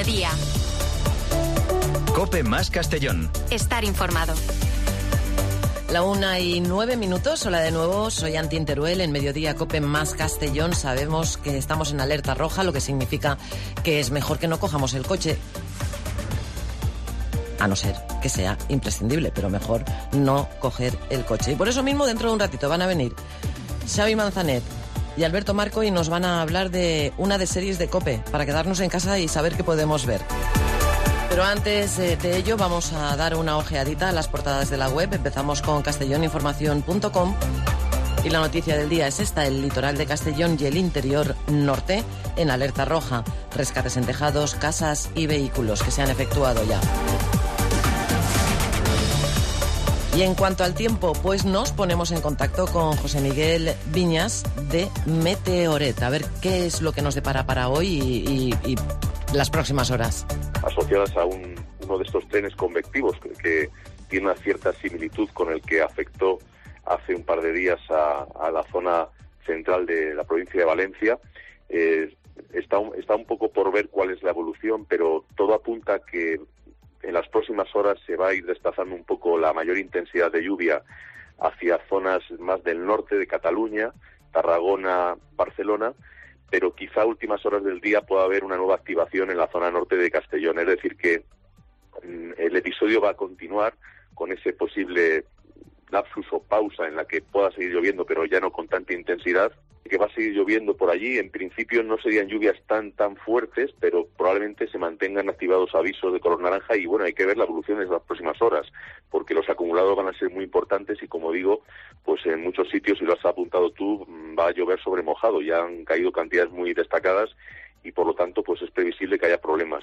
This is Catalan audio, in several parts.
mediodía. COPE más Castellón. Estar informado. 1:09. Hola de nuevo, soy Antin Teruel en Mediodía COPE más Castellón. Sabemos que estamos en alerta roja, lo que significa que es mejor que no cojamos el coche. A no ser que sea imprescindible, pero mejor no coger el coche. Y por eso mismo, dentro de un ratito van a venir Xavi Manzanet y Alberto Marco y nos van a hablar de una de series de COPE para quedarnos en casa y saber qué podemos ver. Pero antes de ello vamos a dar una ojeadita a las portadas de la web. Empezamos con castelloninformación.com y la noticia del día es esta: el litoral de Castellón y el interior norte en alerta roja. Rescates en tejados, casas y vehículos que se han efectuado ya. Y en cuanto al tiempo, pues nos ponemos en contacto con José Miguel Viñas de Meteoret. A ver qué es lo que nos depara para hoy y las próximas horas. Asociadas a uno de estos trenes convectivos que tiene una cierta similitud con el que afectó hace un par de días a la zona central de la provincia de Valencia. Está un poco por ver cuál es la evolución, pero todo apunta a que en las próximas horas se va a ir desplazando un poco la mayor intensidad de lluvia hacia zonas más del norte de Cataluña, Tarragona, Barcelona, pero quizá a últimas horas del día pueda haber una nueva activación en la zona norte de Castellón. Es decir, que el episodio va a continuar con ese posible lapsus o pausa en la que pueda seguir lloviendo, pero ya no con tanta intensidad, que va a seguir lloviendo por allí. En principio no serían lluvias tan fuertes, pero probablemente se mantengan activados avisos de color naranja y bueno, hay que ver la evolución en las próximas horas, porque los acumulados van a ser muy importantes y como digo, pues en muchos sitios, y lo has apuntado tú, va a llover sobre mojado. Ya han caído cantidades muy destacadas y por lo tanto pues es previsible que haya problemas.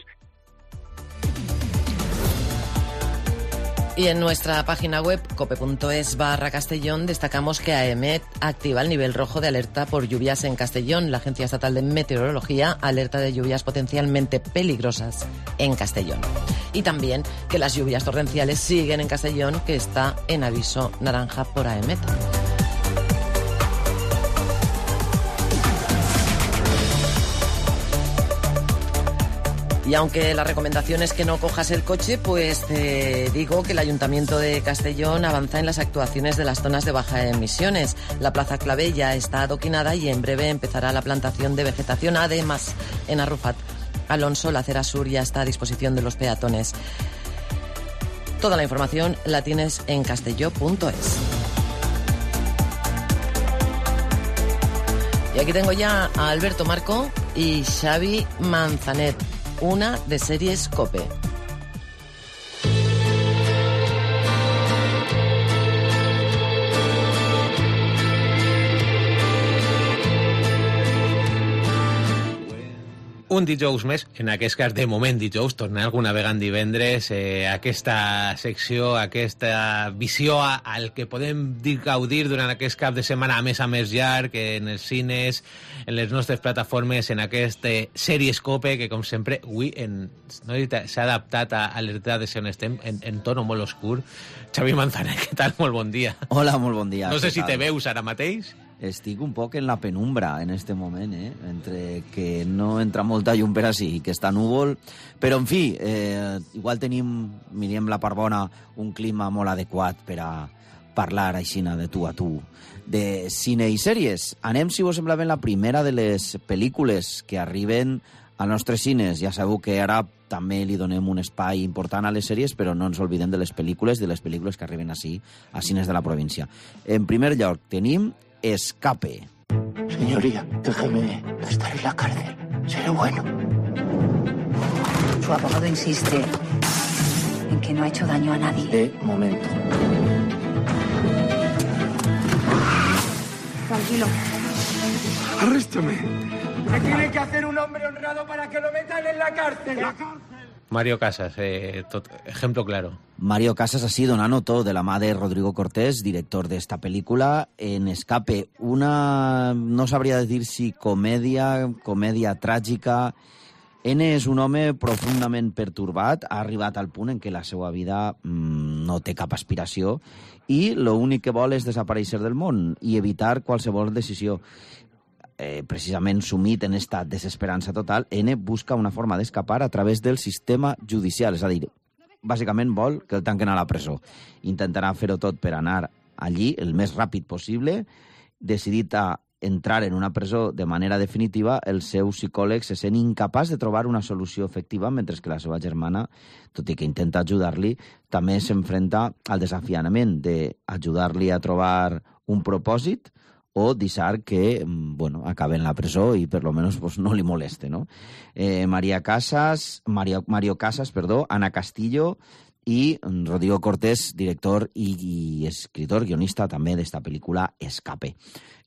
Y en nuestra página web, cope.es/Castellón, destacamos que AEMET activa el nivel rojo de alerta por lluvias en Castellón. La Agencia Estatal de Meteorología alerta de lluvias potencialmente peligrosas en Castellón. Y también que las lluvias torrenciales siguen en Castellón, que está en aviso naranja por AEMET. Y aunque la recomendación es que no cojas el coche, pues te digo que el Ayuntamiento de Castellón avanza en las actuaciones de las zonas de baja emisiones. La Plaza Clavé ya está adoquinada y en breve empezará la plantación de vegetación. Además, en Arrufat Alonso, la acera sur ya está a disposición de los peatones. Toda la información la tienes en castelló.es. Y aquí tengo ya a Alberto Marco y Xavi Manzanet. Una de series COPE. Un dijous més, en aquest cas de moment dijous, tornar alguna vegada en divendres, aquesta secció, aquesta visió al que podem gaudir durant aquest cap de setmana a més llarg, en els cines, en les nostres plataformes, en aquestes sèries COPE, que com sempre avui s'ha adaptat a l'edat de ser on estem, en tono molt oscur. Xavi Manzanet, què tal? Molt bon dia. Hola, molt bon dia. No sé si te veus ara mateix. Estic un poc en la penumbra en este moment, entre que no entra molta llum per ací i que està núvol, però en fi, igual tenim, mirem la part bona, un clima molt adequat per a parlar aixina de tu a tu de cine i sèries. Anem, si vos sembla bé, la primera de les pel·lícules que arriben als nostres cines. Ja sabeu que ara també li donem un espai important a les sèries, però no ens oblidem de les pel·lícules que arriben ací, a cines de la província. En primer lloc, tenim Escape. Señoría, déjeme estar en la cárcel. Seré bueno. Su abogado insiste en que no ha hecho daño a nadie. De momento. Tranquilo. Arréstame. ¿Qué tiene que hacer un hombre honrado para que lo metan en la cárcel? Mario Casas, ejemplo claro. Mario Casas ha sido donant to de la mà de Rodrigo Cortés, director d'esta pel·lícula, en Escape. Una, no sabria dir si comèdia tràgica. N és un home profundament pertorbat, ha arribat al punt en què la seva vida no té cap aspiració i l'únic que vol és desaparèixer del món i evitar qualsevol decisió. precisament sumit en estat desesperança total, N busca una forma d'escapar a través del sistema judicial, és a dir, bàsicament vol que el tanquen a la presó. Intentarà fer-ho tot per anar allí el més ràpid possible, decidit a entrar en una presó de manera definitiva, el seu psicòleg se sent incapaç de trobar una solució efectiva, mentre que la seva germana, tot i que intenta ajudar-li, també s'enfrenta al desafiament d'ajudar-li a trobar un propòsit o deixar que acabe en la presó i per lo menos no li moleste, no? Mario Casas, Ana Castillo i Rodrigo Cortés, director i escritor, guionista també d'esta pel·lícula Escape.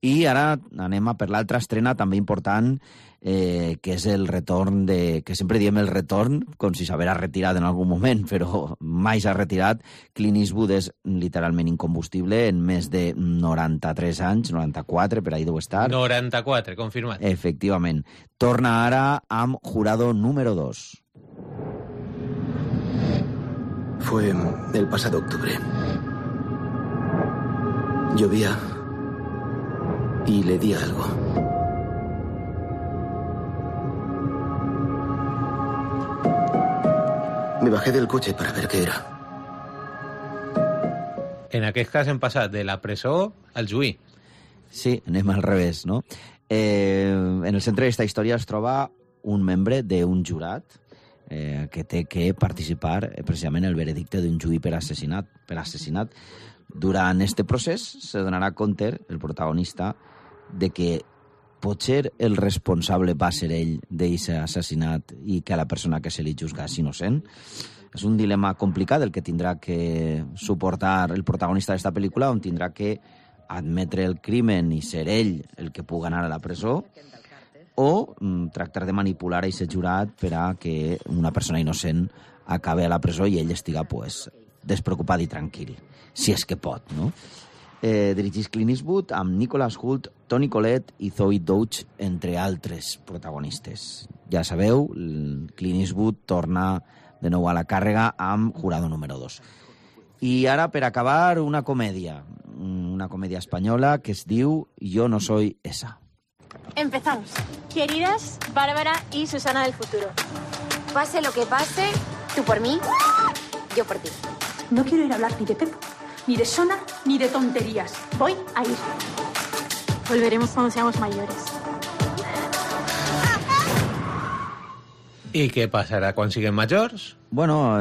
I ara anem a per l'altra estrena també important, que és el retorn que sempre diem el retorn, com si s'haguera retirat en algun moment, però mai s'ha retirat. Clint Eastwood és literalment incombustible en més de 93 anys, 94, per ahí deu estar. 94, confirmat. Efectivament. Torna ara amb Jurado número 2. Fue el pasado octubre. Llovía y le di algo. Me bajé del coche para ver qué era. En aquest cas hem passat de la presó al juí. Sí, anem al revés, no? En el centre d'aquesta història es troba un membre d'un jurat que té que participar precisament en el veredicte d'un juí per assassinat. Durant este procés se donarà compte, el protagonista, de que potser el responsable va ser ell d'aquest assassinat i que la persona que se li juzga és innocent. És un dilema complicat el que tindrà que suportar el protagonista d'esta pel·lícula, on tindrà que admetre el crimen i ser ell el que pugui anar a la presó, o tractar de manipular aquest jurat per a que una persona innocent acabi a la presó i ell estiga despreocupat i tranquil, si és que pot, no? Dirigís Clint Eastwood amb Nicholas Hoult, Toni Collette i Zoe Deutch, entre altres protagonistes. Ja sabeu, Clint Eastwood torna de nou a la càrrega amb Jurado número 2. I ara, per acabar, una comèdia espanyola que es diu Yo no soy esa. Empezamos. Queridas Bárbara y Susana del futuro. Pase lo que pase, tú por mí, yo por ti. No quiero ir a hablar ni de Pepo, ni de Sona, ni de tonterías. Voy a ir. Volveremos cuando seamos mayores. I què passarà quan siguem majors? Bueno,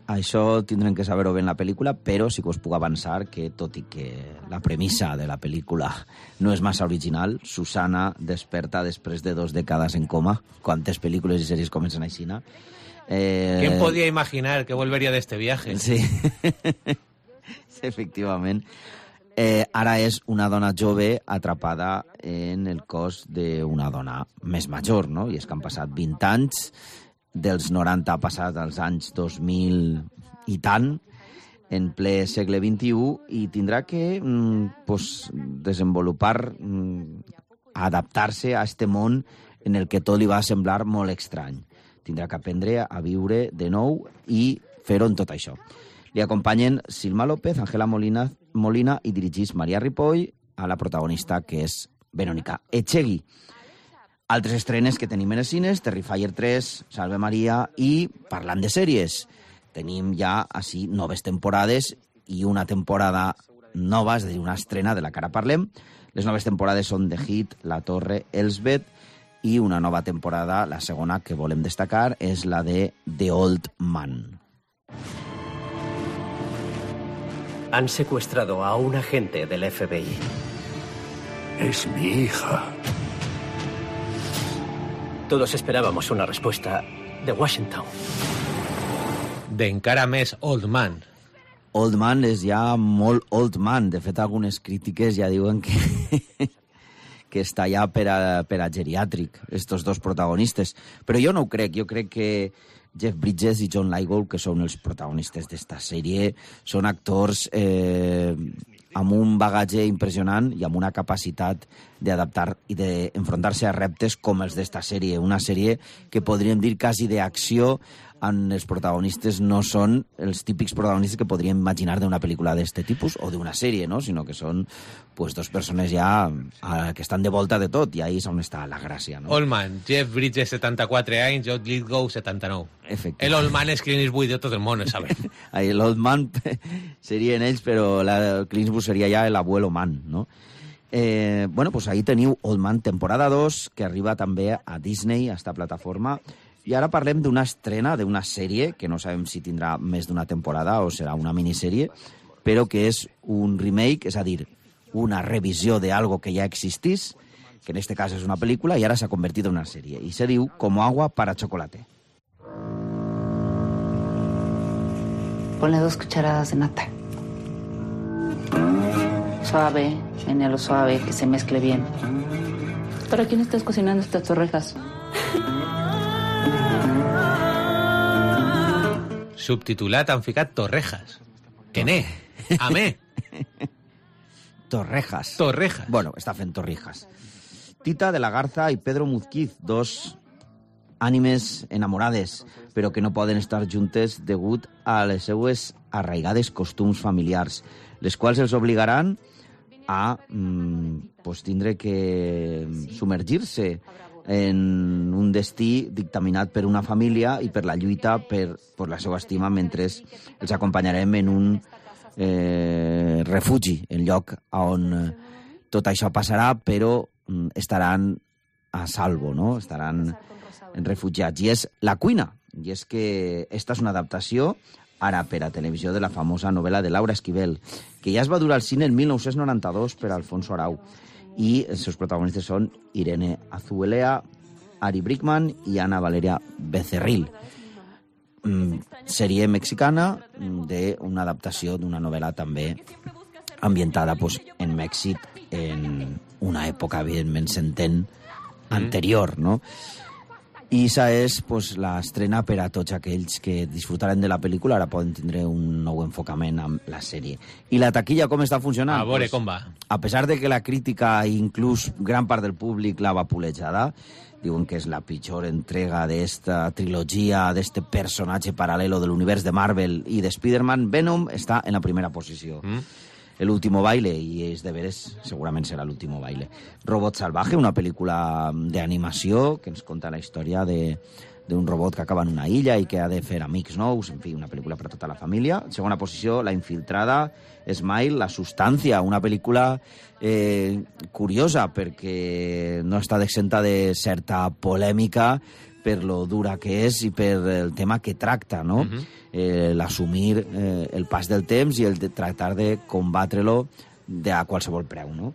això tindrem que saber-ho bé en la pel·lícula, però sí que us puc avançar que, tot i que la premissa de la pel·lícula no és massa original, Susana desperta després de 2 dècades en coma. Quantes pel·lícules i sèries comencen així, no? ¿Quién podía imaginar que volvería de este viaje? Sí, efectivament. Ara és una dona jove atrapada en el cos d'una dona més major, no? I és que han passat 20 anys, dels 90 ha passat als anys 2000 i tant, en ple segle XXI, i tindrà que desenvolupar, adaptar-se a este món en el que tot li va semblar molt estrany. Tindrà que aprendre a viure de nou i fer-ho en tot això. Li acompanyen Silma López, Ángela Molina i dirigís Maria Ripoll, a la protagonista, que és Verónica Echegui. Altres estrenes que tenim en els cines, Terrifier 3, Salve Maria, i parlant de sèries, tenim ja així noves temporades i una temporada nova, és a dir, una estrena de la que ara parlem. Les noves temporades són The Hit, La Torre, Elsbeth, i una nova temporada, la segona que volem destacar, és la de The Old Man. Han secuestrado a un agente del FBI. Es mi hija. Todos esperábamos una respuesta de Washington. D'encara més Old Man. Old Man és ja molt Old Man. De fet, algunes crítiques ja diuen que està ja per a geriàtric, estos dos protagonistes. Però jo no ho crec. Jo crec que Jeff Bridges i John Lithgow, que són els protagonistes d'esta sèrie, són actors amb un bagatge impressionant i amb una capacitat d'adaptar i d'enfrontar-se a reptes com els d'esta sèrie. Una sèrie que podríem dir quasi d'acció, on els protagonistes no són els típics protagonistes que podríem imaginar d'una pel·lícula d'este tipus o d'una sèrie, no? Sinó que són pues, dos persones ja que estan de volta de tot, i ahí és on està la gràcia, no? Oldman, Jeff Bridges, 74 anys, Jude Lithgow, 79. El Oldman és Clint Eastwood de tot el món, sabem. L'Oldman serien ells, però Clint Eastwood seria ja l'abuelo man, no? Bueno, pues ahí teniu Oldman temporada 2, que arriba també a Disney, a esta plataforma. I ara parlem d'una estrena, d'una sèrie, que no sabem si tindrà més d'una temporada o serà una minissèrie, però que és un remake, és a dir, una revisió d'algo que ja existís, que en este cas és una pel·lícula, i ara s'ha convertit en una sèrie. I se diu Como agua para chocolate. Ponle 2 cucharadas de nata. Suave, menelo suave, que se mezcle bien. ¿Para quién estás cocinando estas torrejas? Subtitulat han ficat Torrejas. Que ne? Amé. Torrejas. Torrejas. Bueno, està fent torrijas. Tita de la Garza i Pedro Muzquiz, dos ànimes enamorades, però que no poden estar juntes degut a les seues arraigades costums familiars, les quals els obligaran a pues, tindre que submergir-se en un destí dictaminat per una família i per la lluita per la seva estima, mentre els acompanyarem en un refugi, en lloc on tot això passarà, però estaran a salvo, no? Estaran refugiats. I és La cuina. I és que esta és una adaptació ara per a televisió de la famosa novel·la de Laura Esquivel, que ja es va dur al cine el 1992 per Alfonso Arau. I els seus protagonistes són Irene Azuelea, Ari Brickman i Ana Valeria Becerril. Sèrie mexicana d'una adaptació d'una novel·la també ambientada pues, en Mèxic en una època, evidentment, s'entén, anterior, no? I esa és pues, l'estrena per a tots aquells que disfrutaren de la pel·lícula, ara poden tindre un nou enfocament amb la sèrie. I la taquilla com està funcionant? A veure com va. A pesar de que la crítica i inclús gran part del públic la vapulejada, diuen que és la pitjor entrega d'esta trilogia, d'este personatge paral·lelo de l'univers de Marvel i de Spider-Man, Venom està en la primera posició. El último baile, i és de veres, segurament serà l'último baile. Robot Salvaje, una pel·lícula d'animació que ens conta la història d'un robot que acaba en una illa i que ha de fer amics nous, en fi, una pel·lícula per a tota la família. Segona posició, La infiltrada, Smile, La sustancia, una pel·lícula curiosa perquè no està exenta de certa polèmica per lo dura que és i per el tema que tracta, no? L'assumir el pas del temps i el de tractar de combatre-lo a qualsevol preu, no?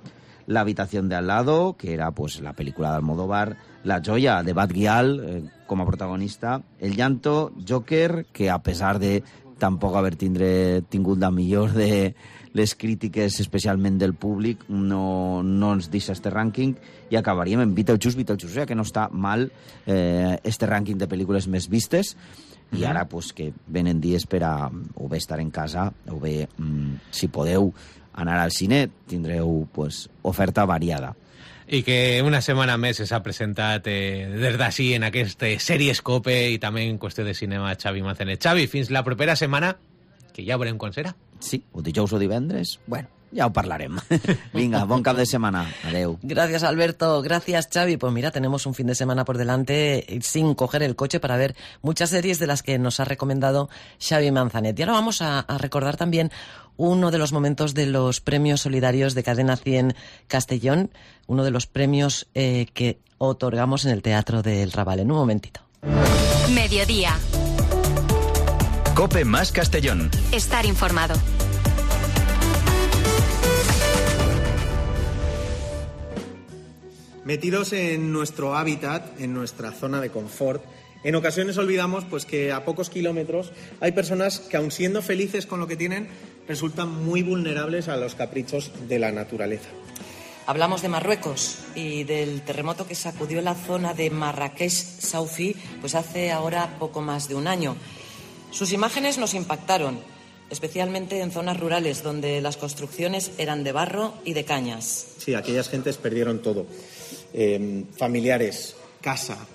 La habitación de al lado, que era pues, la pel·lícula d'Almodóvar, La joya, de Bat Gyal, com a protagonista, El llanto, Joker, que a pesar de tampoc haver tingut la millor de les crítiques, especialment del públic, no ens deixa este rànquing, i acabaríem en Beetlejuice, o sigui que no està mal este rànquing de pel·lícules més vistes, i ara pues, que venen dies per a o bé estar en casa o bé, si podeu anar al cine, tindreu pues, oferta variada. I que una setmana més s'ha presentat des d'ací en aquesta sèrie Escope i també en qüestió de cinema Xavi Manzanet. Xavi, fins la propera setmana, que ja veurem quan serà. Sí, o dijous o divendres, bueno, ya os parlarem. Venga, bon cap de semana. Adeu. Gracias, Alberto. Gracias, Xavi. Pues mira, tenemos un fin de semana por delante sin coger el coche para ver muchas series de las que nos ha recomendado Xavi Manzanet. Y ahora vamos a recordar también uno de los momentos de los premios solidarios de Cadena 100 Castellón, uno de los premios que otorgamos en el Teatro del Raval. En un momentito. Mediodía. COPE más Castellón. Estar informado. Metidos en nuestro hábitat, en nuestra zona de confort, en ocasiones olvidamos pues, que a pocos kilómetros hay personas que, aun siendo felices con lo que tienen, resultan muy vulnerables a los caprichos de la naturaleza. Hablamos de Marruecos y del terremoto que sacudió la zona de Marrakech-Saufi pues hace ahora poco más de un año. Sus imágenes nos impactaron. especialmente en zonas rurales donde las construcciones eran de barro y de cañas. Sí, aquellas gentes perdieron todo. Familiares, casa,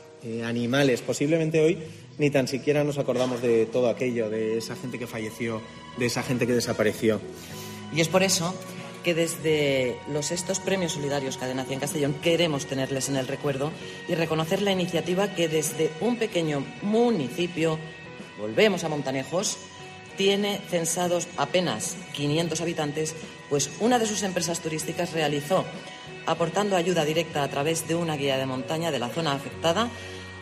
animales. Posiblemente hoy ni tan siquiera nos acordamos de todo aquello, de esa gente que falleció, de esa gente que desapareció. Y es por eso que desde estos premios solidarios Cadena 100 Castellón queremos tenerles en el recuerdo y reconocer la iniciativa que desde un pequeño municipio, volvemos a Montanejos, tiene censados apenas 500 habitantes, pues una de sus empresas turísticas realizó, aportando ayuda directa a través de una guía de montaña de la zona afectada,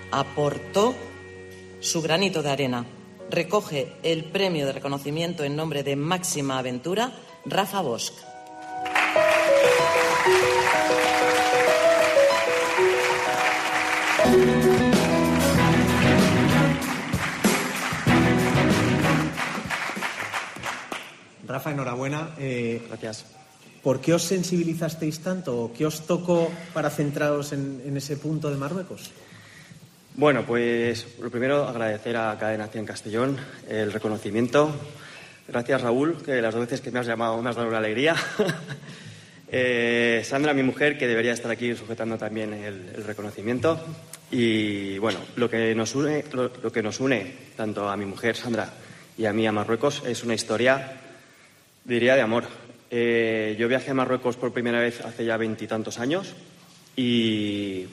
aportó su granito de arena. Recoge el premio de reconocimiento en nombre de Máxima Aventura, Rafa Bosch. Rafa, enhorabuena. Gracias. ¿Por qué os sensibilizasteis tanto? ¿Qué os tocó para centraros en ese punto de Marruecos? Bueno, pues lo primero, agradecer a Cadena 100 Castellón el reconocimiento. Gracias, Raúl, que las 2 veces que me has llamado me has dado una alegría. Sandra, mi mujer, que debería estar aquí sujetando también el reconocimiento. Y bueno, lo que nos une tanto a mi mujer, Sandra, y a mí a Marruecos es una historia, diría, de amor. Yo viajé a Marruecos por primera vez hace ya 20 y tantos años y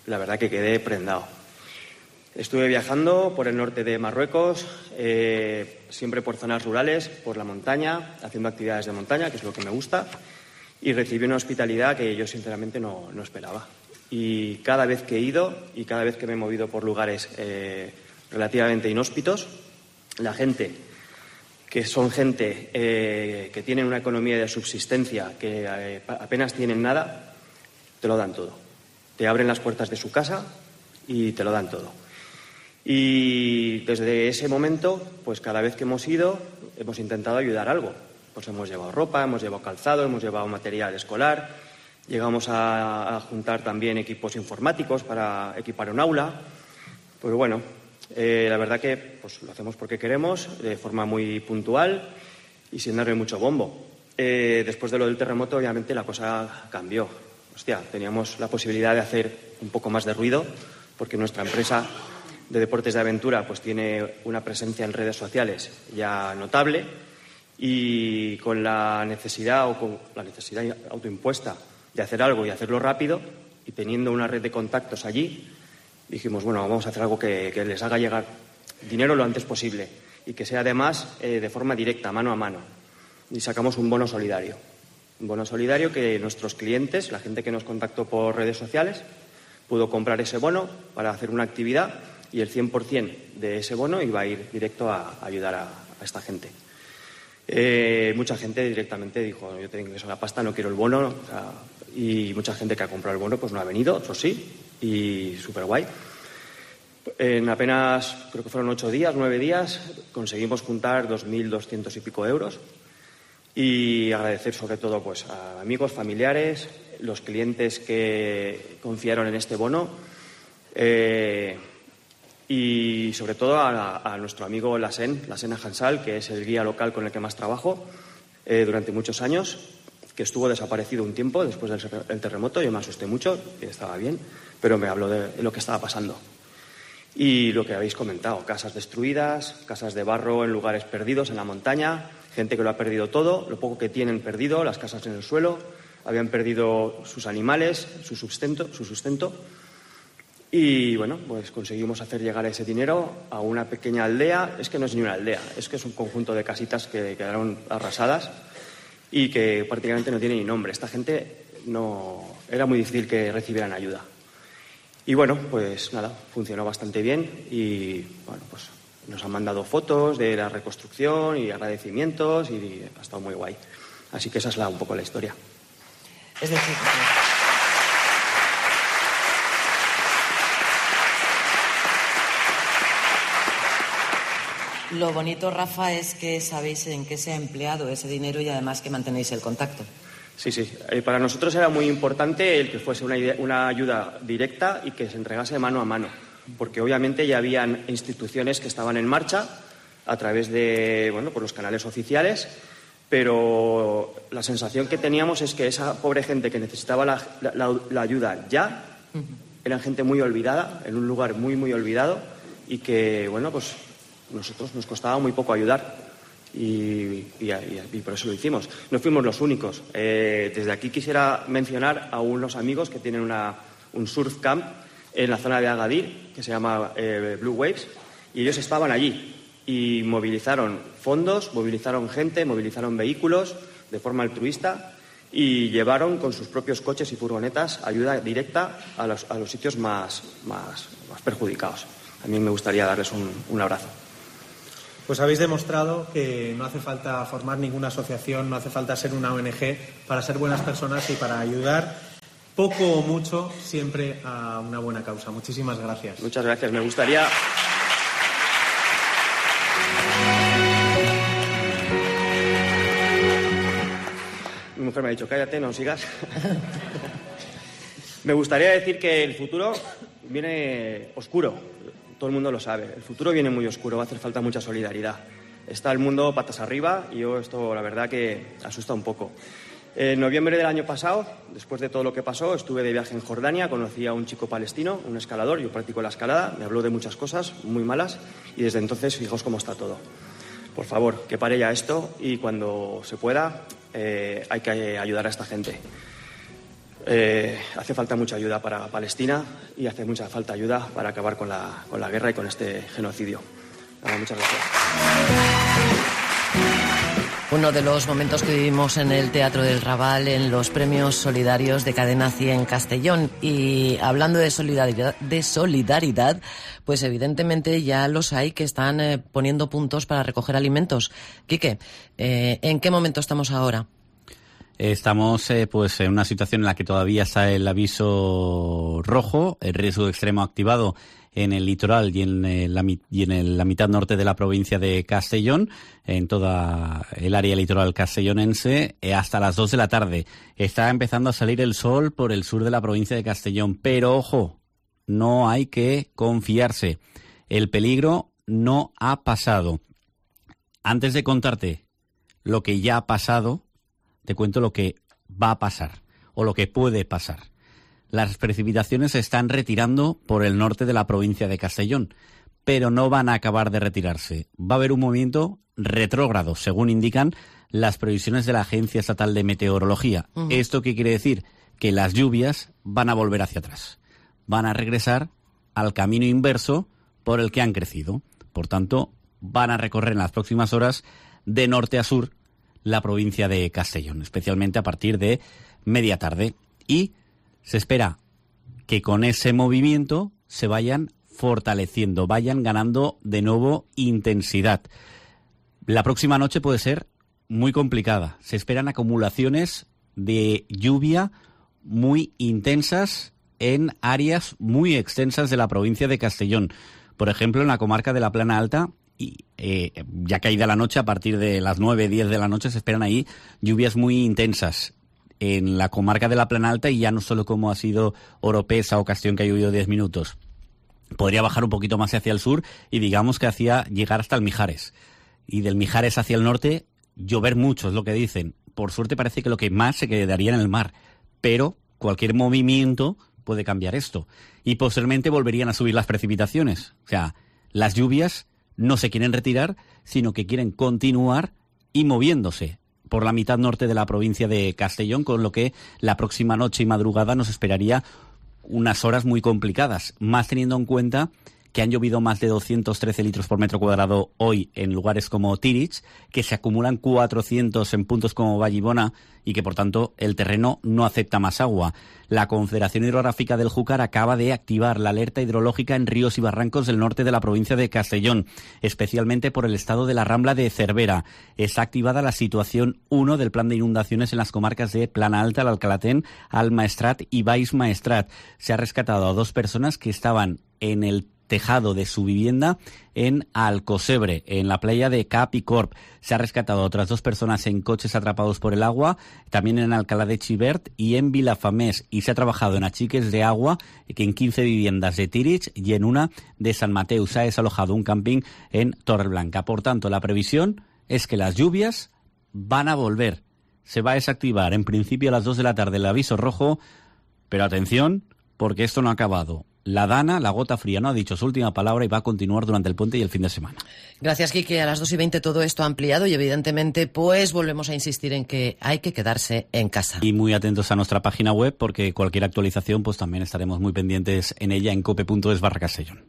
la verdad que quedé prendado. Estuve viajando por el norte de Marruecos, siempre por zonas rurales, por la montaña, haciendo actividades de montaña, que es lo que me gusta, y recibí una hospitalidad que yo sinceramente no esperaba. Y cada vez que he ido y cada vez que me he movido por lugares relativamente inhóspitos, la gente, que son gente que tienen una economía de subsistencia, que apenas tienen nada, te lo dan todo. Te abren las puertas de su casa y te lo dan todo. Y desde ese momento, pues cada vez que hemos ido, hemos intentado ayudar algo. Pues hemos llevado ropa, hemos llevado calzado, hemos llevado material escolar, llegamos a juntar también equipos informáticos para equipar un aula. Pues bueno, la verdad que pues lo hacemos porque queremos, de forma muy puntual y sin darle mucho bombo. Después de lo del terremoto, obviamente, la cosa cambió. Hostia, teníamos la posibilidad de hacer un poco más de ruido, porque nuestra empresa de deportes de aventura pues tiene una presencia en redes sociales ya notable, y con la necesidad autoimpuesta de hacer algo y hacerlo rápido, y teniendo una red de contactos allí, dijimos, bueno, vamos a hacer algo que les haga llegar dinero lo antes posible y que sea además de forma directa, mano a mano. Y sacamos un bono solidario. Un bono solidario que nuestros clientes, la gente que nos contactó por redes sociales, pudo comprar ese bono para hacer una actividad, y el 100% de ese bono iba a ir directo a ayudar a esta gente. Mucha gente directamente dijo, yo tengo eso, la pasta, no quiero el bono. O sea, y mucha gente que ha comprado el bono pues no ha venido, eso sí, y súper guay. En apenas, creo que fueron 8 días, 9 días, conseguimos juntar 2.200 y pico euros. Y agradecer sobre todo pues a amigos, familiares, los clientes que confiaron en este bono, y sobre todo a nuestro amigo Lassen Hansal, que es el guía local con el que más trabajo durante muchos años, que estuvo desaparecido un tiempo después del terremoto. Yo me asusté mucho, estaba bien, pero me habló de lo que estaba pasando. Y lo que habéis comentado, casas destruidas, casas de barro en lugares perdidos en la montaña, gente que lo ha perdido todo, lo poco que tienen perdido, las casas en el suelo, habían perdido sus animales, su sustento. Y bueno, pues conseguimos hacer llegar ese dinero a una pequeña aldea. Es que no es ni una aldea, es que es un conjunto de casitas que quedaron arrasadas y que prácticamente no tiene ni nombre. Esta gente era muy difícil que recibieran ayuda. Y bueno, pues nada, funcionó bastante bien y bueno, pues nos han mandado fotos de la reconstrucción y agradecimientos y ha estado muy guay. Así que esa es un poco la historia. Es decir, lo bonito, Rafa, es que sabéis en qué se ha empleado ese dinero y además que mantenéis el contacto. Sí. Para nosotros era muy importante el que fuese una ayuda directa y que se entregase mano a mano, porque obviamente ya habían instituciones que estaban en marcha a través de, por los canales oficiales, pero la sensación que teníamos es que esa pobre gente que necesitaba la ayuda ya, eran gente muy olvidada, en un lugar muy, muy olvidado, y que, nosotros nos costaba muy poco ayudar y por eso lo hicimos. No fuimos los únicos. Desde aquí quisiera mencionar a unos amigos que tienen un surf camp en la zona de Agadir, que se llama Blue Waves, y ellos estaban allí y movilizaron fondos, movilizaron gente, movilizaron vehículos de forma altruista y llevaron con sus propios coches y furgonetas ayuda directa a los sitios más perjudicados. A mí me gustaría darles un abrazo. Pues habéis demostrado que no hace falta formar ninguna asociación, no hace falta ser una ONG para ser buenas personas y para ayudar poco o mucho siempre a una buena causa. Muchísimas gracias. Muchas gracias. Me gustaría... Mi mujer me ha dicho, cállate, no sigas. Me gustaría decir que el futuro viene oscuro. Todo el mundo lo sabe. El futuro viene muy oscuro, va a hacer falta mucha solidaridad. Está el mundo patas arriba y esto la verdad que asusta un poco. En noviembre del año pasado, después de todo lo que pasó, estuve de viaje en Jordania, conocí a un chico palestino, un escalador, yo practico la escalada, me habló de muchas cosas muy malas y desde entonces fijaos cómo está todo. Por favor, que pare ya esto y cuando se pueda hay que ayudar a esta gente. Hace falta mucha ayuda para Palestina y hace mucha falta ayuda para acabar con la guerra y con este genocidio. Muchas gracias. Uno de los momentos que vivimos en el Teatro del Raval en los premios solidarios de Cadena 100 Castellón. Y hablando de solidaridad, pues evidentemente ya los hay que están poniendo puntos para recoger alimentos. Quique, ¿en qué momento estamos ahora? Estamos en una situación en la que todavía está el aviso rojo, el riesgo extremo activado en el litoral y en la mitad norte de la provincia de Castellón, en toda el área litoral castellonense, hasta las 2 de la tarde. Está empezando a salir el sol por el sur de la provincia de Castellón, pero ojo, no hay que confiarse. El peligro no ha pasado. Antes de contarte lo que ya ha pasado, te cuento lo que va a pasar o lo que puede pasar. Las precipitaciones se están retirando por el norte de la provincia de Castellón, pero no van a acabar de retirarse. Va a haber un movimiento retrógrado, según indican las previsiones de la Agencia Estatal de Meteorología. Uh-huh. ¿Esto qué quiere decir? Que las lluvias van a volver hacia atrás. Van a regresar al camino inverso por el que han crecido. Por tanto, van a recorrer en las próximas horas de norte a sur la provincia de Castellón, especialmente a partir de media tarde. Y se espera que con ese movimiento se vayan fortaleciendo, vayan ganando de nuevo intensidad. La próxima noche puede ser muy complicada. Se esperan acumulaciones de lluvia muy intensas en áreas muy extensas de la provincia de Castellón. Por ejemplo, en la comarca de la Plana Alta, y ya caída la noche, a partir de las 9, 10 de la noche, se esperan ahí lluvias muy intensas en la comarca de la Plana Alta, y ya no solo como ha sido Oropesa o Castellón, que ha llovido 10 minutos. Podría bajar un poquito más hacia el sur y digamos que hacia llegar hasta el Mijares. Y del Mijares hacia el norte, llover mucho, es lo que dicen. Por suerte parece que lo que más se quedaría en el mar, pero cualquier movimiento puede cambiar esto. Y posteriormente volverían a subir las precipitaciones. O sea, las lluvias no se quieren retirar, sino que quieren continuar y moviéndose por la mitad norte de la provincia de Castellón, con lo que la próxima noche y madrugada nos esperaría unas horas muy complicadas, más teniendo en cuenta que han llovido más de 213 litros por metro cuadrado hoy en lugares como Tirich, que se acumulan 400 en puntos como Vallibona y que, por tanto, el terreno no acepta más agua. La Confederación Hidrográfica del Júcar acaba de activar la alerta hidrológica en ríos y barrancos del norte de la provincia de Castellón, especialmente por el estado de la Rambla de Cervera. Está activada la situación 1 del plan de inundaciones en las comarcas de Plana Alta, el Alcalatén, Almaestrat y Baix Maestrat. Se ha rescatado a 2 personas que estaban en el tejado de su vivienda en Alcocebre, en la playa de Cap y Corp. Se ha rescatado a otras 2 personas en coches atrapados por el agua, también en Alcalá de Xivert y en Vilafamés. Y se ha trabajado en achiques de agua en 15 viviendas de Tírig y en una de San Mateu. Se ha desalojado un camping en Torreblanca. Por tanto, la previsión es que las lluvias van a volver. Se va a desactivar en principio a las 2 de la tarde el aviso rojo, pero atención, porque esto no ha acabado. La Dana, la gota fría, no ha dicho su última palabra y va a continuar durante el puente y el fin de semana. Gracias, Quique. A las 2:20 todo esto ha ampliado y evidentemente pues volvemos a insistir en que hay que quedarse en casa. Y muy atentos a nuestra página web porque cualquier actualización pues también estaremos muy pendientes en ella en cope.es/Castellón.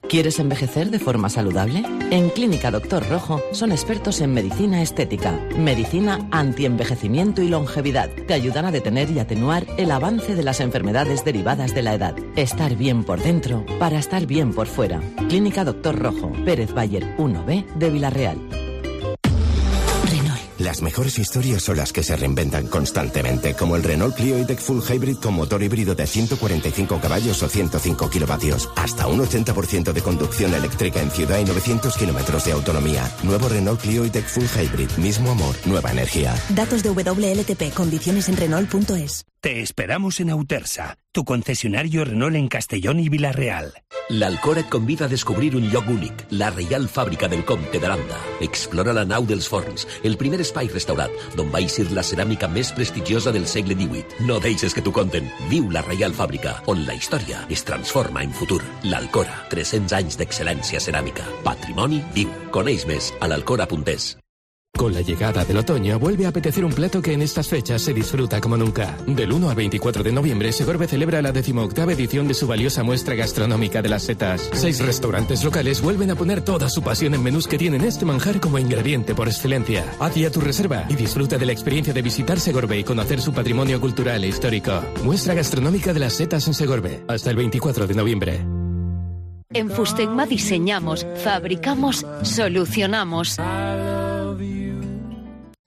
¿Quieres envejecer de forma saludable? En Clínica Doctor Rojo son expertos en medicina estética, medicina antienvejecimiento y longevidad. Te ayudan a detener y atenuar el avance de las enfermedades derivadas de la edad. Estar bien por dentro para estar bien por fuera. Clínica Doctor Rojo, Pérez Bayer 1B de Villarreal. Las mejores historias son las que se reinventan constantemente, como el Renault Clio E-Tech Full Hybrid con motor híbrido de 145 caballos o 105 kilovatios. Hasta un 80% de conducción eléctrica en ciudad y 900 kilómetros de autonomía. Nuevo Renault Clio E-Tech Full Hybrid. Mismo amor, nueva energía. Datos de WLTP. Condiciones en Renault.es. Te esperamos en Autersa, tu concesionario Renault en Castellón y Vila-real. L'Alcora et convida a descobrir un lloc únic, la Reial Fàbrica del Comte d'Aranda. Explora la nau dels forns, el primer espai restaurat, d'on va eixir la ceràmica més prestigiosa del segle XVIII. No deixes que t'ho conten. Viu la Reial Fàbrica, on la història es transforma en futur. L'Alcora, 300 anys d'excel·lència ceràmica. Patrimoni viu. Coneix més a l'alcora.es. Con la llegada del otoño vuelve a apetecer un plato que en estas fechas se disfruta como nunca. Del 1 al 24 de noviembre, Segorbe celebra la 18ª edición de su valiosa muestra gastronómica de las setas. 6 restaurantes locales vuelven a poner toda su pasión en menús que tienen este manjar como ingrediente por excelencia. Haz ya tu reserva y disfruta de la experiencia de visitar Segorbe y conocer su patrimonio cultural e histórico. Muestra gastronómica de las setas en Segorbe, hasta el 24 de noviembre. En Fustecma diseñamos, fabricamos, solucionamos.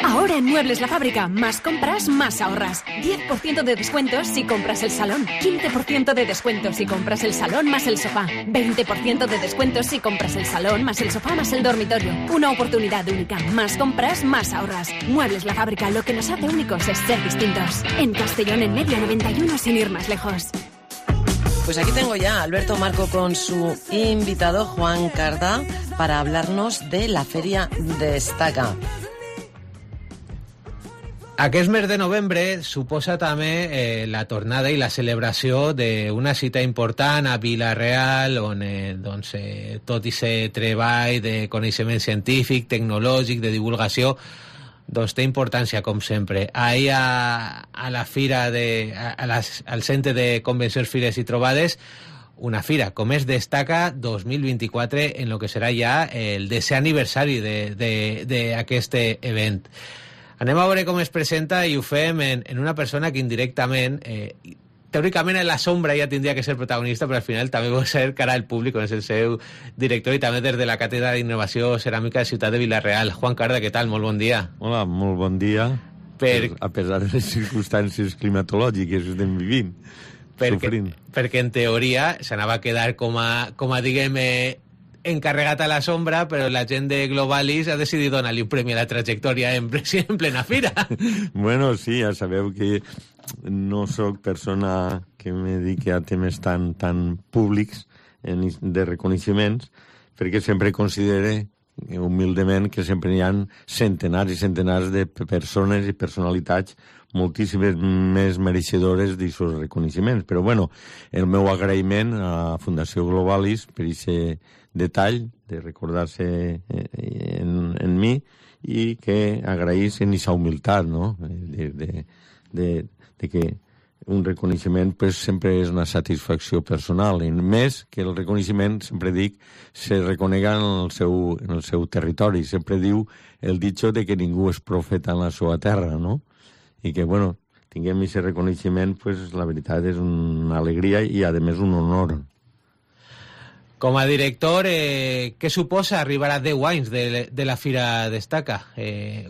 Ahora en Muebles La Fábrica, más compras, más ahorras. 10% de descuentos si compras el salón. 15% de descuentos si compras el salón más el sofá. 20% de descuentos si compras el salón más el sofá más el dormitorio. Una oportunidad única. Más compras, más ahorras. Muebles La Fábrica, lo que nos hace únicos es ser distintos. En Castellón, en Media 91, sin ir más lejos. Pues aquí tengo ya a Alberto Marco con su invitado Juan Cardá para hablarnos de la Feria Destaca. Aquest mes de novembre suposa també la tornada i la celebració d'una cita important a Vila-real, on tot i ser treball de coneixement científic, tecnològic, de divulgació, doncs té importància, com sempre. Ahir a la fira, al Centre de Convencions, Fires i Trobades, una fira com es Destaca 2024, en lo que serà ja el 10è aniversari d'aquest event. Anem a veure com es presenta i ho fem en una persona que indirectament, teòricament en la sombra ja tindria que ser protagonista, però al final també vol ser cara al públic, és el seu director i també des de la Càtedra d'Innovació Ceràmica de Ciutat de Vila-real. Juan Carda, què tal? Molt bon dia. Hola, molt bon dia. A pesar de les circumstàncies climatològiques que estem vivint, sofrint. Perquè en teoria s'anava a quedar com a diguem, encarregat a la sombra, però la gent de Globalis ha decidit donar-li un premi a la trajectòria en plena fira. Bueno, sí, ja sabeu que no sóc persona que me dediqui a temes tan públics de reconeixements, perquè sempre considere humilment que sempre hi ha centenars i centenars de persones i personalitats moltíssimes més mereixedores d'aquests reconeixements. Però, bueno, el meu agraïment a la Fundació Globalis per aquest detall de recordar-se en mi i que agraïssin aquesta humilitat, no? De que un reconeixement pues, sempre és una satisfacció personal, i més que el reconeixement, sempre dic, se reconega en el seu territori. Sempre diu el dicho de que ningú és profeta en la seva terra, no? I que, bueno, tinguem aquest reconeixement, pues, la veritat és una alegria i, a més, un honor. Com a director, què suposa arribar a 10 anys de la Fira Destaca?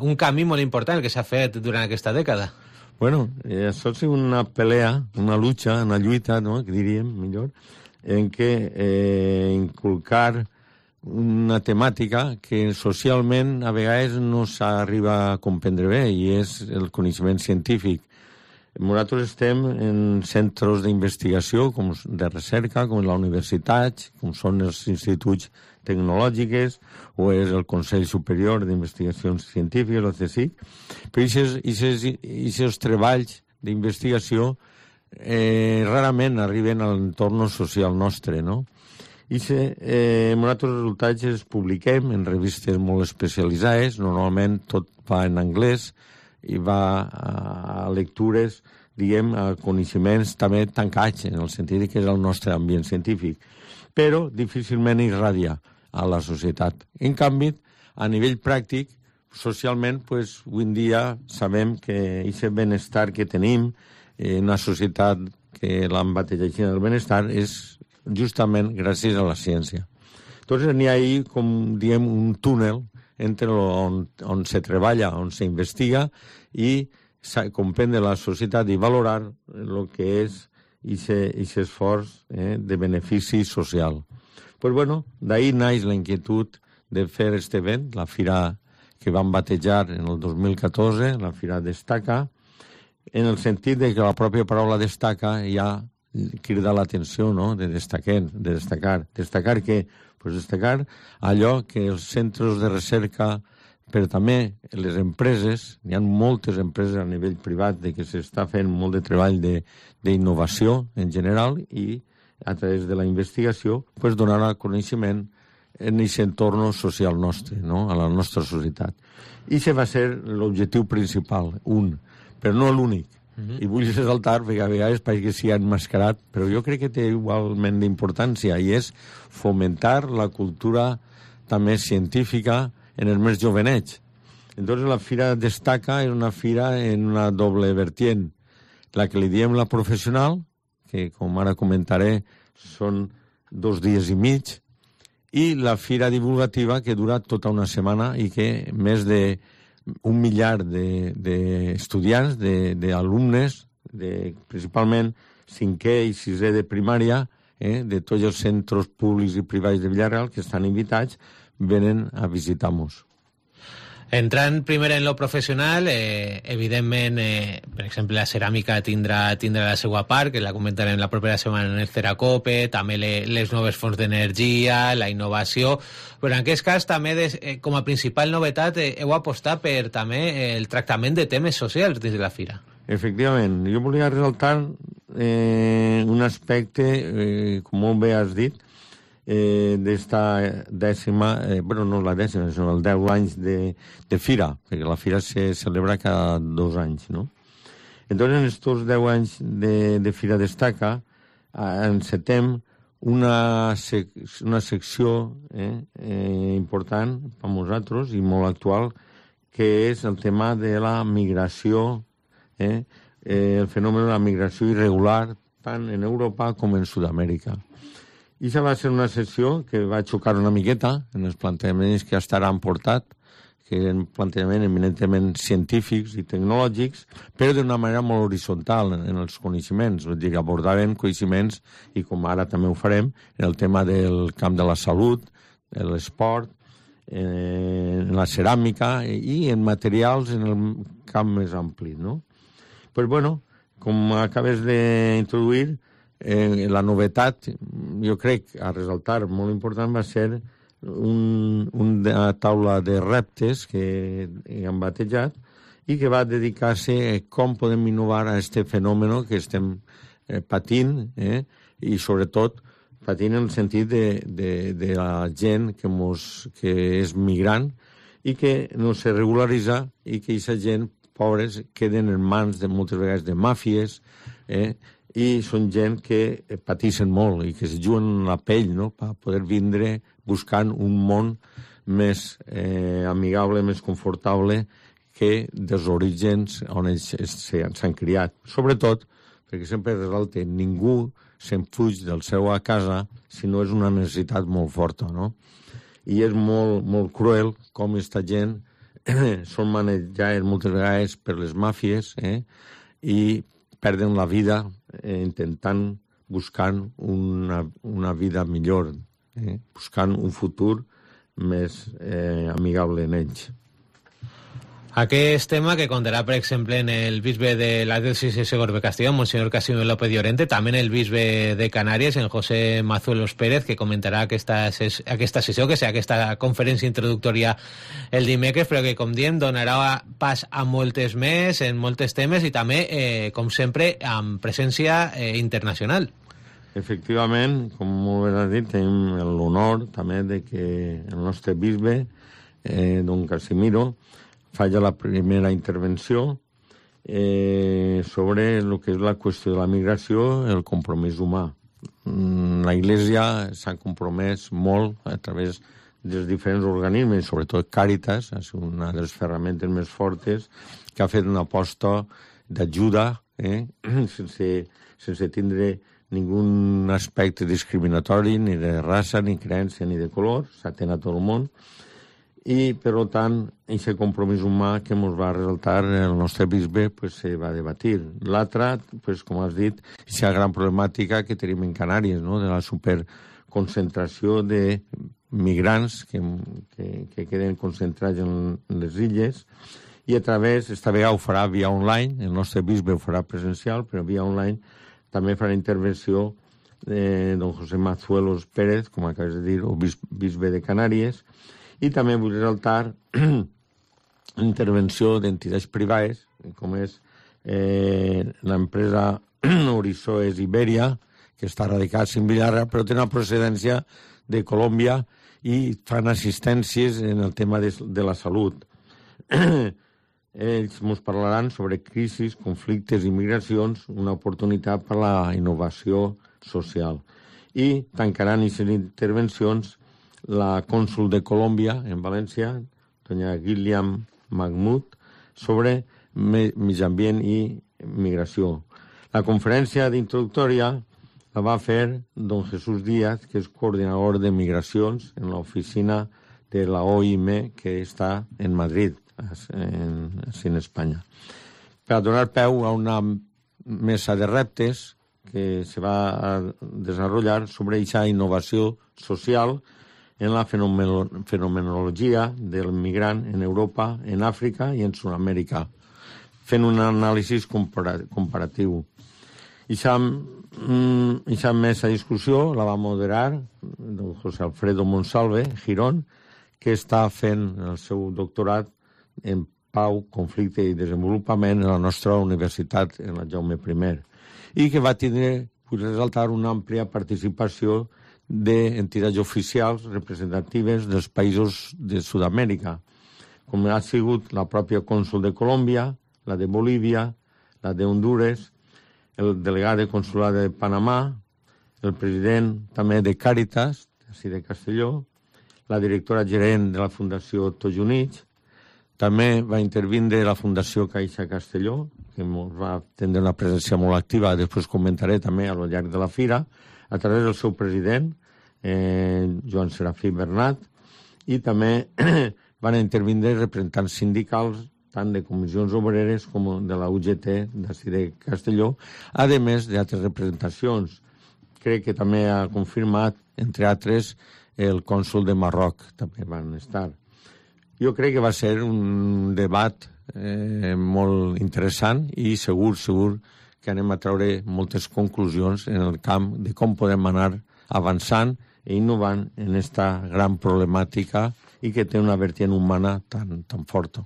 Un camí molt important que s'ha fet durant aquesta dècada. Bueno, això és una pelea, una lucha, una lluita, no?, que diríem millor, en què inculcar una temàtica que socialment a vegades no s'arriba a comprendre bé, i és el coneixement científic. Nosaltres estem en centres d'investigació, com de recerca, com la universitat, com són els instituts tecnològics, o és el Consell Superior d'Investigacions Científiques, el CSIC, però aquests treballs d'investigació rarament arriben a l'entorn social nostre, no? I nosaltres resultats els publiquem en revistes molt especialitzades, normalment tot va en anglès i va a lectures, diguem, a coneixements també tancats, en el sentit que és el nostre ambient científic, però difícilment irradia a la societat. En canvi, a nivell pràctic, socialment, pues, avui en dia sabem que aquest benestar que tenim en una societat que l'han batejat el benestar és justament gràcies a la ciència. Entonces n'hi ha ahí, com diem, un túnel entre on se treballa, on se investiga i comprendre la societat i valorar el que és aquest esforç de benefici social. Pues bueno, d'ahí naix la inquietud de fer aquest event, la fira que vam batejar en el 2014, la fira Destaca, en el sentit de que la pròpia paraula destaca ja crida l'atenció, no?, de destacar. Destacar què? Pues destacar allò que els centres de recerca, però també les empreses, hi ha moltes empreses a nivell privat de que s'està fent molt de treball d'innovació en general i a través de la investigació pues, donar a coneixement en aquest entorn social nostre, no?, a la nostra societat. I això va ser l'objectiu principal, però no l'únic. I vull ressaltar, perquè a vegades pareix que s'hi ha enmascarat, però jo crec que té igualment d'importància, i és fomentar la cultura també científica en els més jovenets. Entonces la fira Destaca és una fira en una doble vertient. La que li diem la professional, que com ara comentaré són 2 dies i mig, i la fira divulgativa que dura tota una setmana i que més de 1 miliar d'estudiants, d'alumnes, principalment 5è i 6è de primària, de tots els centres públics i privats de Villarreal que estan invitats, venen a visitar-nos. Entrant primer en lo professional, evidentment, per exemple, la ceràmica tindrà la seva part, que la comentarem la propera setmana en el Ceracope, també les noves fonts d'energia, la innovació, però en aquest cas també com a principal novetat heu apostat per també el tractament de temes socials dins de la fira. Efectivament, jo volia resaltar un aspecte, com molt bé has dit, d'esta dècima, no la dècima, sinó el 10 anys de fira, perquè la fira se celebra cada 2 anys, no? Entonces, en estos 10 anys de fira Destaca, encetem una secció important per nosaltres i molt actual, que és el tema de la migració, el fenomen de la migració irregular, tant en Europa com en Sud-amèrica. I això va ser una sessió que va xocar una miqueta en els plantejaments que hasta ara han portat, que eren plantejaments eminentment científics i tecnològics, però d'una manera molt horitzontal en els coneixements. És a dir, abordaven coneixements, i com ara també ho farem, en el tema del camp de la salut, l'esport, en la ceràmica i en materials en el camp més ampli, no? Pues bueno, com acabes d'introduir, la novetat, jo crec, a resaltar, molt important, va ser una taula de reptes que han batejat i que va dedicar-se a com podem innovar a aquest fenomen que estem patint, i sobretot patint en el sentit de la gent que és migrant i que no se regularitza i que aquesta gent, pobres, queden en mans de moltes vegades de màfies, i són gent que pateixen molt i que es juguen la pell, no?, per poder vindre buscant un món més amigable, més confortable que dels orígens on ells s'han criat. Sobretot, perquè sempre resalta, ningú se'n fuig del seu a casa si no és una necessitat molt forta, no? I és molt, molt cruel com aquesta gent són manejats moltes vegades per les màfies i perden la vida intentant buscant una vida millor, buscant un futur més amigable en ells. Aquest tema que contarà, per exemple, en el bisbe de la diòcesi de Segorbe-Castellón, Monsenyor Casimiro López Llorente, també en el bisbe de Canàries, en José Mazuelos Pérez, que comentarà aquesta sessió, que serà aquesta conferència introductòria el dimecres, però que, com diem, donarà pas a moltes més, en moltes temes, i també, com sempre, amb presència internacional. Efectivament, com molt bé has dit, tenim l'honor també de que el nostre bisbe, don Casimiro, falla la primera intervenció sobre el que és la qüestió de la migració, el compromís humà. La Iglesia s'ha compromès molt a través dels diferents organismes, sobretot Càritas, és una de les ferramentes més fortes, que ha fet una aposta d'ajuda sense tindre ningú aspecte discriminatori, ni de raça, ni creença, ni de color, s'atén a tot el món. I, per tant, aquest compromís humà que ens va resaltar el nostre bisbe se va debatir. L'altra, com has dit, és la gran problemàtica que tenim en Canàries, de la superconcentració de migrants que queden concentrats en les illes, i a través, esta vegada ho farà via online, el nostre bisbe ho farà presencial, però via online també farà intervenció de don José Mazuelos Pérez, com acabes de dir, o bisbe de Canàries, i també vull resaltar l'intervenció d'entitats privades, com és l'empresa Horisoes Iberia, que està radicada a Villarra, però té una procedència de Colòmbia i fan assistències en el tema de la salut. Ells ens parlaran sobre crisis, conflictes i migracions, una oportunitat per a la innovació social. I tancaran aquestes intervencions la cònsul de Colòmbia, en València, doña Gilliam Mahmoud, sobre mig ambient i migració. La conferència d'introductòria la va fer don Jesús Díaz, que és coordinador de migracions en l'oficina de la OIM, que està en Madrid, en Espanya. Per a donar peu a una mesa de reptes que se va a desenvolupar sobre aquesta innovació social en la fenomenologia del migrant en Europa, en Àfrica i en Sud-amèrica, fent un anàlisi comparatiu. Aquesta mesa de discussió la va moderar don José Alfredo Monsalve Girón, que està fent el seu doctorat en Pau, Conflicte i Desenvolupament a la nostra universitat, en la Jaume I, i que va tindre, vull resaltar, una àmplia participació d'entitats oficials representatives dels països de Sud-amèrica, com ha sigut la pròpia cònsul de Colòmbia, la de Bolívia, la de Hondures, el delegat de consulat de Panamà, el president també de Càritas, de Castelló, la directora gerent de la Fundació Tots Units, també va intervindre la Fundació Caixa Castelló, que va tindre una presència molt activa, després comentaré també a lo llarg de la fira, a través del seu president, Joan Serafí Bernat, i també van intervindre representants sindicals, tant de comissions obreres com de la UGT d'ací de Castelló, a més d'altres representacions. Crec que també ha confirmat, entre altres, el cònsul de Marroc, també van estar. Jo crec que va ser un debat molt interessant i segur que anem a treure moltes conclusions en el camp de com podem anar avançant i innovant en aquesta gran problemàtica i que té una vertiente humana tan forta.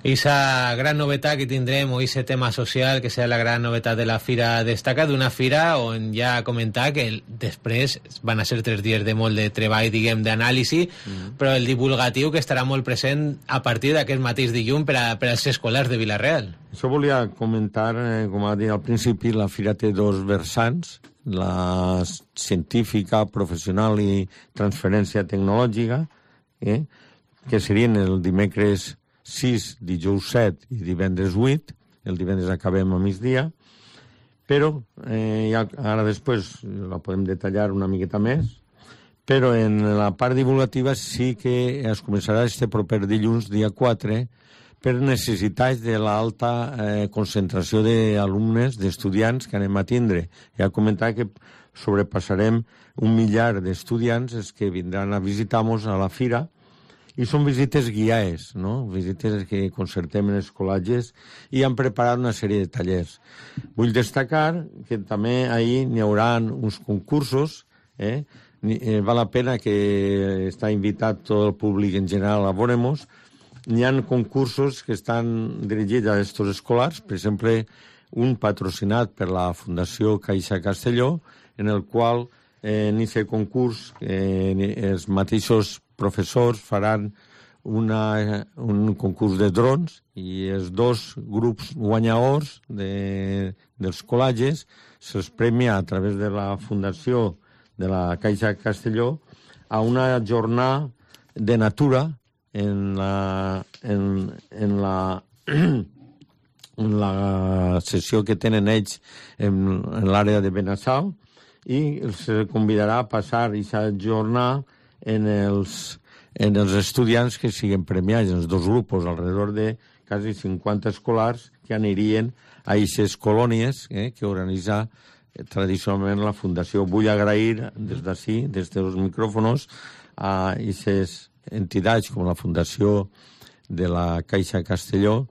Esa gran novetat que tindrem, o ese tema social, que serà la gran novetat de la fira, destaca d'una fira on ja comentar que després van a ser 3 dies de molt de treball, diguem, d'anàlisi, però el divulgatiu que estarà molt present a partir d'aquest mateix dilluns per als escolars de Vila-real. Això volia comentar, com ha dit al principi, la fira té 2 vessants, la científica, professional i transferència tecnològica, que serien el dimecres 6, dijous 7 i divendres 8, el divendres acabem a migdia, però ara després la podem detallar una miqueta més, però en la part divulgativa sí que es començarà este proper dilluns, dia 4, per necessitats de l'alta concentració d'alumnes, d'estudiants que anem a tindre. Ja comentar que sobrepassarem 1 miliar d'estudiants els que vindran a visitar-nos a la fira, i són visites guiades, no? Visites que concertem en els col·legis i han preparat una sèrie de tallers. Vull destacar que també ahir n'hi haurà uns concursos, val la pena que està invitat tot el públic en general a veure-nos. N'hi ha concursos que estan dirigits a aquests escolars, per exemple, un patrocinat per la Fundació Caixa Castelló, en el qual en aquest concurs els mateixos professors faran un concurs de drons i els 2 grups guanyadors dels col·legis se'ls premia a través de la Fundació de la Caixa Castelló a una jornada de natura en la sessió que tenen ells en l'àrea de Benassal, i se convidarà a passar aquesta jornada en els estudiants que siguin premiats, en els 2 grups, alrededor de quasi 50 escolars que anirien a aquestes colònies que organitza tradicionalment la Fundació. Vull agrair des d'ací, des dels micròfons, a aquestes entitats com la Fundació de la Caixa Castelló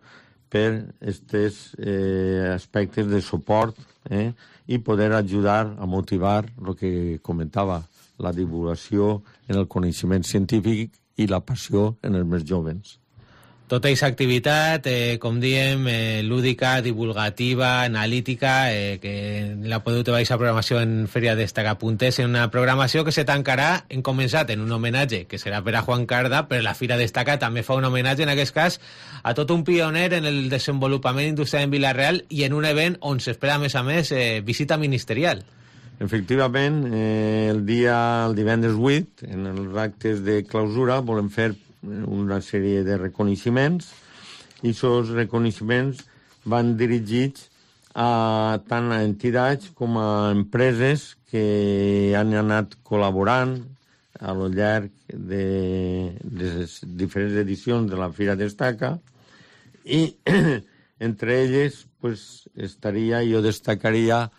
per aquests aspectes de suport i poder ajudar a motivar el que comentava, la divulgació en el coneixement científic i la passió en els més joves. Tota aquesta activitat, com diem, lúdica, divulgativa, analítica, que la podeu trobar aquesta programació en feriadestaca.es, en una programació que se tancarà, hem començat en un homenatge que serà per a Juan Carda, però la Fira Destaca també fa un homenatge, en aquest cas, a tot un pioner en el desenvolupament industrial en Vila-real i en un event on s'espera, a més, visita ministerial. Efectivament, el divendres 8, en els actes de clausura, volem fer una sèrie de reconeixements, i aquests reconeixements van dirigits tant a entitats com a empreses que han anat col·laborant a lo llarg de les diferents edicions de la Fira Destaca, i entre elles jo destacaria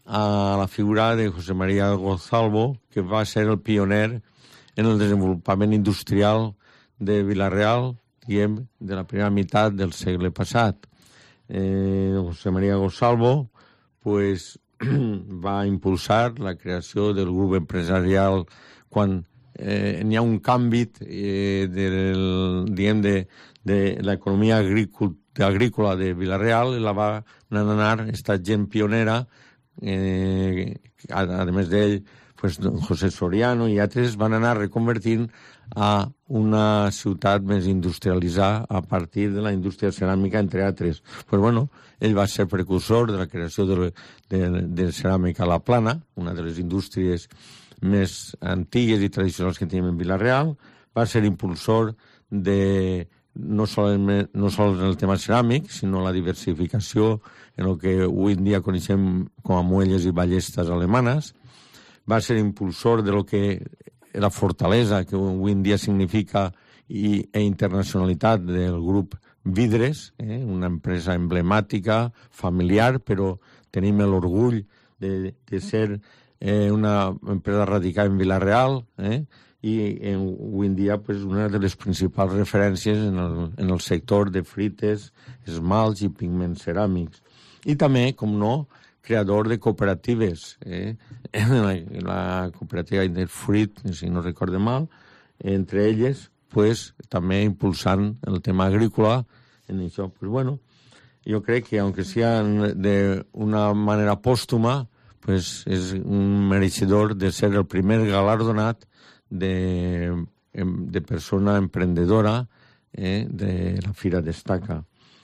a la figura de José María Gonzalvo, que va ser el pioner en el desenvolupament industrial de Vila-real, diguem, de la primera meitat del segle passat. José María Gonzalvo va impulsar la creació del grup empresarial quan n'hi ha un canvi de l'economia agrícola de Vila-real, i la va anar esta gent pionera, a més d'ell, José Soriano i altres van anar reconvertint a una ciutat més industrialitzada a partir de la indústria ceràmica, entre altres. Ell va ser precursor de la creació de ceràmica a la Plana, una de les indústries més antigues i tradicionals que tenim en Vila-real. Va ser impulsor de no sols en el tema ceràmic, sinó la diversificació en el que avui en dia coneixem com a muelles i ballestes alemanes. Va ser impulsor de lo que la fortalesa que avui en dia significa internacionalitat del grup Vidres, una empresa emblemàtica, familiar, però tenim l'orgull de ser una empresa radicada en Vila-real, i avui en dia una de les principals referències en el sector de frites, esmalts i pigments ceràmics. I també, com no, creador de cooperatives, la cooperativa Interfruit, si no recorde mal, entre elles, també impulsant el tema agrícola en això. Jo crec que, aunque sea de una manera pòstuma, és un mereixedor de ser el primer galardonat de persona emprendedora de la Fira Destaca.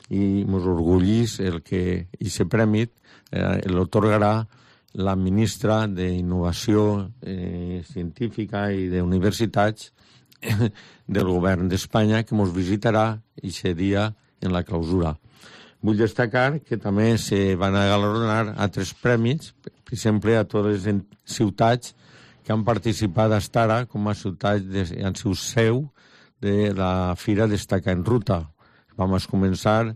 I ens orgullís el que aquest premi l'otorgarà la ministra d'Innovació Científica i d'Universitats del govern d'Espanya, que ens visitarà aquest dia en la clausura. Vull destacar que també se van a galardonar altres premis, per exemple, a totes les ciutats que han participat fins ara com a ciutats en seu de la Fira Destaca en Ruta. vam començar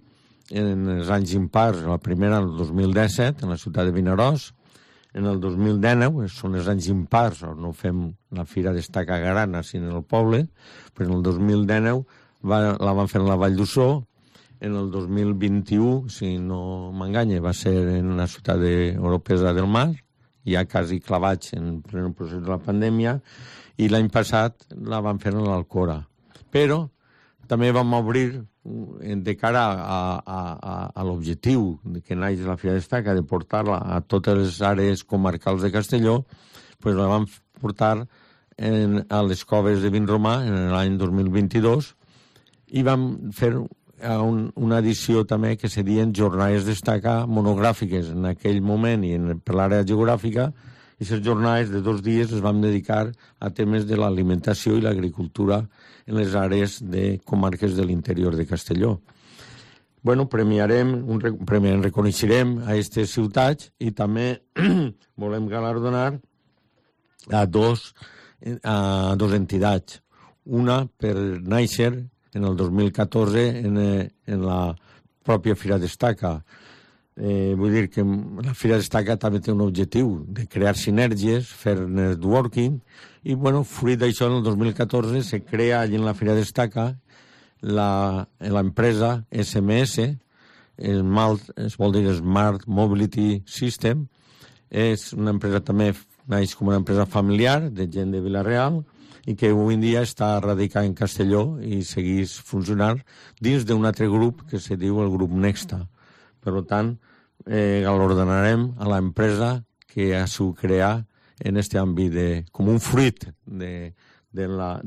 en els anys impars, la primera el 2017, en la ciutat de Vinaròs, en el 2019, són els anys impars, no fem la Fira d'Estaca Grana, sinó en el poble, però en el 2019 la van fer en la Vall d'Ussó, en el 2021, si no m'enganya, va ser en la ciutat d'Oropesa del Mar, ja quasi clavats en pleno procés de la pandèmia, i l'any passat la van fer en l'Alcora. Però també vam obrir, de cara a l'objectiu que naix la Fira d'Estaca, de portar-la a totes les àrees comarcals de Castelló, pues la vam portar a les coves de Vinromà en l'any 2022 i vam fer una edició també que serien jornades d'Estaca monogràfiques en aquell moment i per l'àrea geogràfica, i aquestes jornades de 2 dies les vam dedicar a temes de l'alimentació i l'agricultura en les àrees de comarques de l'interior de Castelló. Bueno, reconeixerem a aquestes ciutats i també volem galardonar a dos entitats. Una per néixer en el 2014 en la pròpia Fira d'Estaca. Vull dir que la Fira d'Estaca també té un objectiu de crear sinergies, fer networking, i bueno, fruit d'això en el 2014 se crea allí en la Fira d'Estaca l'empresa SMS, es vol dir Smart Mobility System. És una empresa també, naix com una empresa familiar de gent de Vila-real i que avui en dia està radicada en Castelló i segueix funcionant dins d'un altre grup que se diu el grup Nexta. Per tant, galardonarem a l'empresa que ha sigut crear en aquest àmbit com un fruit de la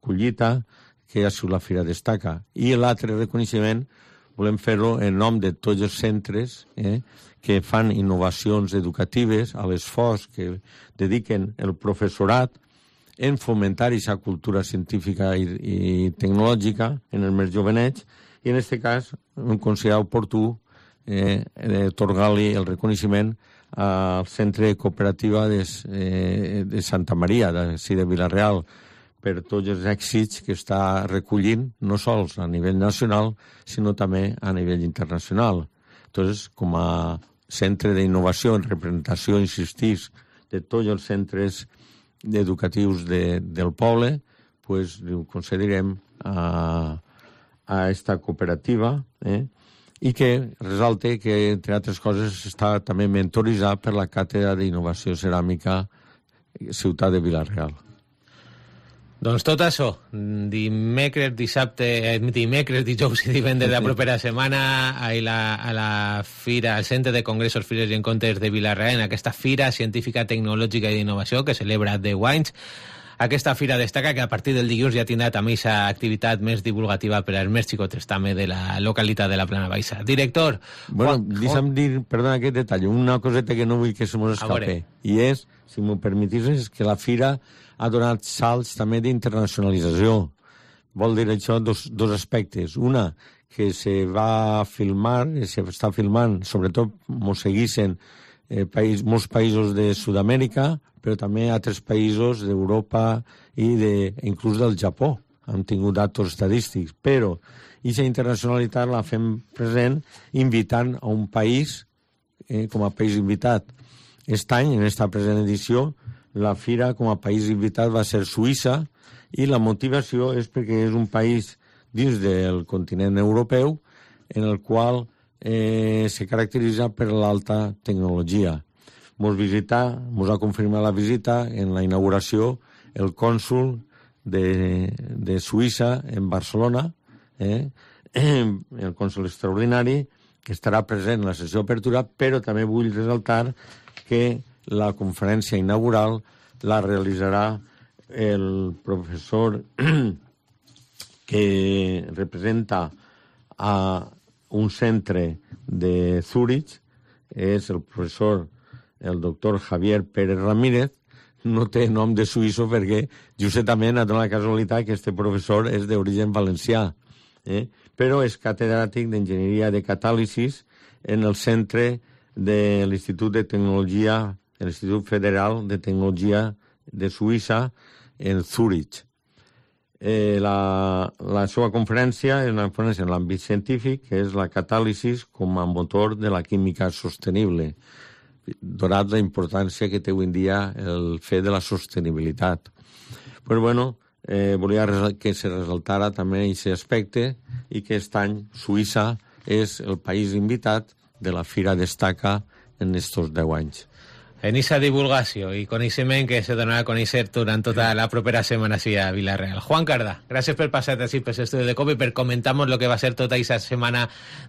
collita que ha sigut la Fira d'Estaca. I l'altre reconeixement volem fer-lo en nom de tots els centres que fan innovacions educatives, a l'esforç que dediquen el professorat en fomentar aquesta cultura científica i tecnològica en els més jovenets, i en aquest cas hem considerat oportú atorgar-li el reconeixement al Centre Cooperativa de Santa Maria, de Vila-real, per tots els èxits que està recollint, no sols a nivell nacional, sinó també a nivell internacional. Entonces, com a centre d'innovació en representació, insistís, de tots els centres educatius del poble, pues ho concedirem a esta cooperativa, i que resalte que, entre altres coses, està també mentoritzat per la Càtedra d'Innovació Ceràmica Ciutat de Vila-real. Doncs tot això, dimecres, dijous i divendres de la propera setmana a la Fira, al Centre de Congressos, Fires i Encontres de Vila-real, en aquesta Fira Científica, Tecnològica i d'Innovació que celebra 10 anys. Aquesta Fira d'Estaca que a partir del dilluns ja tindrà també aquesta activitat més divulgativa per als més xicotes també de la localitat de la Plana Baixa. Director... Bueno, deixa'm dir, perdona aquest detall, una coseta que no vull que se mos escape, i és, si m'ho permetisses, que la Fira ha donat salts també d'internacionalització. Vol dir això dos aspectes. Una, que se va filmar, se està filmant, sobretot mos seguissin molts països de Sud-amèrica, però també altres països d'Europa i inclús del Japó. Han tingut datos estadístics, però aquesta internacionalitat la fem present invitant a un país com a país invitat. Aquest any, en aquesta present edició, la Fira com a país invitat va ser Suïssa, i la motivació és perquè és un país dins del continent europeu en el qual se caracteritza per l'alta tecnologia. Mos ha confirmat la visita en la inauguració el cònsul de Suïssa en Barcelona, el cònsul extraordinari, que estarà present en la sessió d'apertura, però també vull resaltar que la conferència inaugural la realitzarà el professor que representa a un centre de Zúrich, és el professor, el doctor Javier Pérez Ramírez. No té nom de suïsso perquè justament ha donat la casualitat que este professor és d'origen valencià, però és catedràtic d'Enginyeria de Catàlisis en el centre de l'Institut de Tecnologia, l'Institut Federal de Tecnologia de Suïssa, en Zúrich. La seva conferència és una conferència en l'àmbit científic, que és la catàlisi com a motor de la química sostenible, donat la importància que té avui en dia el fet de la sostenibilitat. Però bueno, volia que se resaltara també aquest aspecte i que aquest any Suïssa és el país invitat de la Fira Destaca en estos 10 anys. En esa divulgació i coneixement que se donarà a conèixer durant tota la propera setmana així a Vila-real. Juan Cardà, gràcies per passar així per l'estudi de COPE i per comentar-nos el que va ser tota aquesta setmana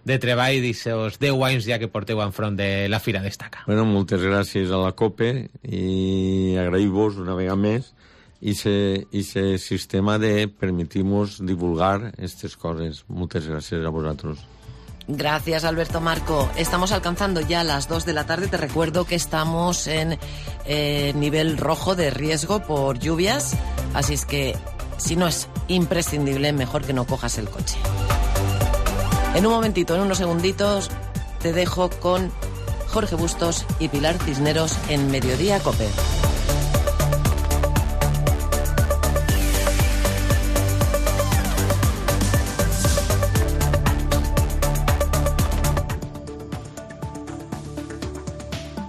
de treball d'aquests 10 anys ja que porteu enfront de la Fira Destaca. Bueno, moltes gràcies a la COPE i agraïm-vos una vegada més i ese sistema de permitir-nos divulgar aquestes coses. Moltes gràcies a vosaltres. Gracias, Alberto Marco. Estamos alcanzando ya las 2 de la tarde. Te recuerdo que estamos en nivel rojo de riesgo por lluvias, así es que si no es imprescindible, mejor que no cojas el coche. En un momentito, en unos segunditos, te dejo con Jorge Bustos y Pilar Cisneros en Mediodía COPE.